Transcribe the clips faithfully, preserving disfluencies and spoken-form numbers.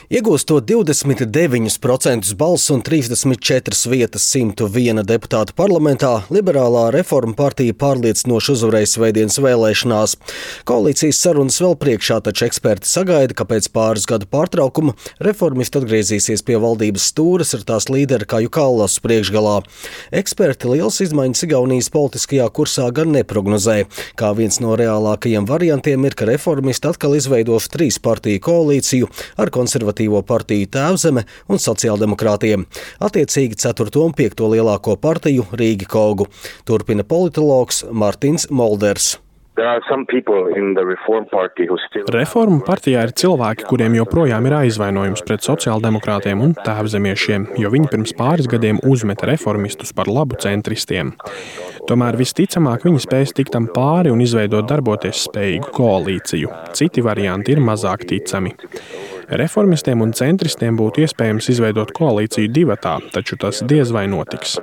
Iegūstot divdesmit deviņus procentus balsu un trīsdesmit četras vietas simta viena deputāta parlamentā, Liberālā reforma partija pārliecinoši uzvarēja svētdienas vēlēšanās. Koalīcijas sarunas vēl priekšā, taču eksperti sagaida, ka pēc pāris gadu pārtraukuma reformisti atgriezīsies pie valdības stūres ar tās līderi Kaju Kallasu priekšgalā. Eksperti lielas izmaiņas Igaunijas politiskajā kursā gan neprognozē. Kā viens no reālākajiem variantiem ir, ka reformisti atkal izveidos trīs partiju koalīciju ar konservatīvu partiju Tēvzeme un sociāldemokrātiem. Attiecīgi ceturto un piekto lielāko partiju Rīgi Kogu. Turpina politologs Martins Molders. Reformu partijā ir cilvēki, kuriem joprojām ir aizvainojums pret sociāldemokrātiem un tēvzemiešiem, jo viņi pirms pāris gadiem uzmeta reformistus par labu centristiem. Tomēr visticamāk viņi spēs tikt tam pāri un izveidot darboties spējīgu koalīciju. Citi varianti ir mazāk ticami. Reformistiem un centristiem būtu iespējams izveidot koalīciju divatā, taču tas diez vai notiks.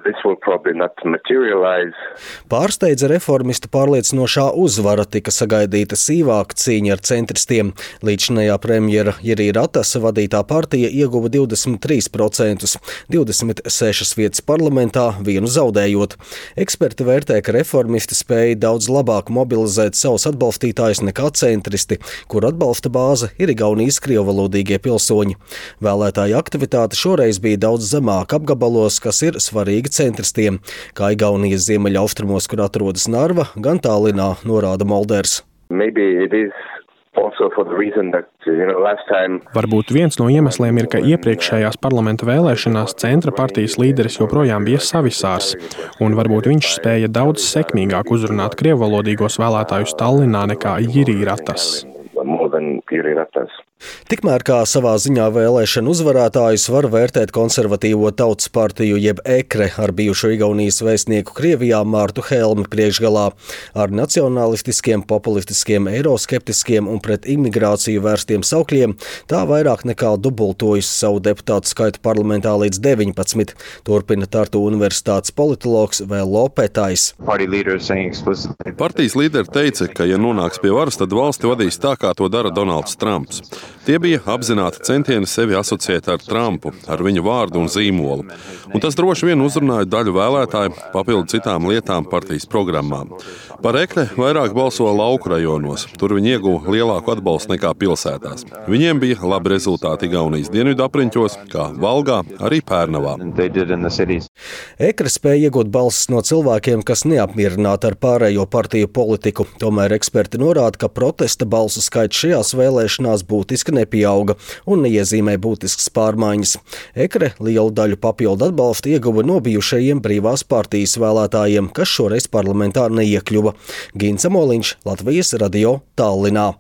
Pārsteidza reformistu pārliecinošā uzvara, tika sagaidīta sīvāka cīņa ar centristiem. Līdzinējā premjera Jirija Ratasa vadītā partija ieguva divdesmit trīs procentus, divdesmit sešas vietas parlamentā, vienu zaudējot. Eksperti vērtē, ka reformisti spēja daudz labāk mobilizēt savus atbalstītājus nekā centristi, kur atbalsta bāze ir Igaunijas krievvalodīgie pilsoņi. Vēlētāju aktivitāte šoreiz bija daudz zemāka apgabalos, kas ir svarīgi centristiem, kā Igaunijas ziemeļaustrumos, kur atrodas Narva, gan Tallinā, norāda Molders. Varbūt viens no iemesliem ir, ka iepriekšējās parlamenta vēlēšanās centra partijas līderis joprojām bija Savisārs, un varbūt viņš spēja daudz sekmīgāk uzrunāt krievvalodīgos vēlētājus Tallinā nekā Jirija Ratas. Tikmēr kā savā ziņā vēlēšanu uzvarētājus var vērtēt konservatīvo tautas partiju jeb ekre ar bijušo Igaunijas vēstnieku Krievijā Mārtu Helmi priekšgalā. Ar nacionalistiskiem, populistiskiem, eiroskeptiskiem un pret imigrāciju vērstiem saukļiem tā vairāk nekā dubultojas savu deputātu skaitu parlamentā līdz deviņpadsmit, turpina Tartu universitātes politologs Vello Petais. Partijas līderi teica, ka ja nonāks pie varas, tad valsti vadīs tā, kā to dara Donalds Trumps. Tie bija apzināti centieni sevi asociēt ar Trumpu, ar viņu vārdu un zīmolu. Un tas droši vien uzrunāja daļu vēlētāju papildu citām lietām partijas programmā. Par ekre vairāk balso lauku rajonos. Tur viņi ieguva lielāku atbalstu nekā pilsētās. Viņiem bija labi rezultāti Igaunijas dienvidu apriņķos, kā Valgā, arī Pērnavā. Ekre spēja iegūt balsis no cilvēkiem, kas neapmierināti ar pārējo partiju politiku. Tomēr eksperti norāda, ka protesta balsu skaits šajās vēlēšanās būtiski nepieauga un neiezīmē būtiskas pārmaiņas. Ekre lielu daļu papildu atbalstu ieguva no bijušajiem brīvās partijas vēlētājiem, kas šoreiz parlamentā neiekļuva. Gins Amoliņš, Latvijas radio, Tallinā.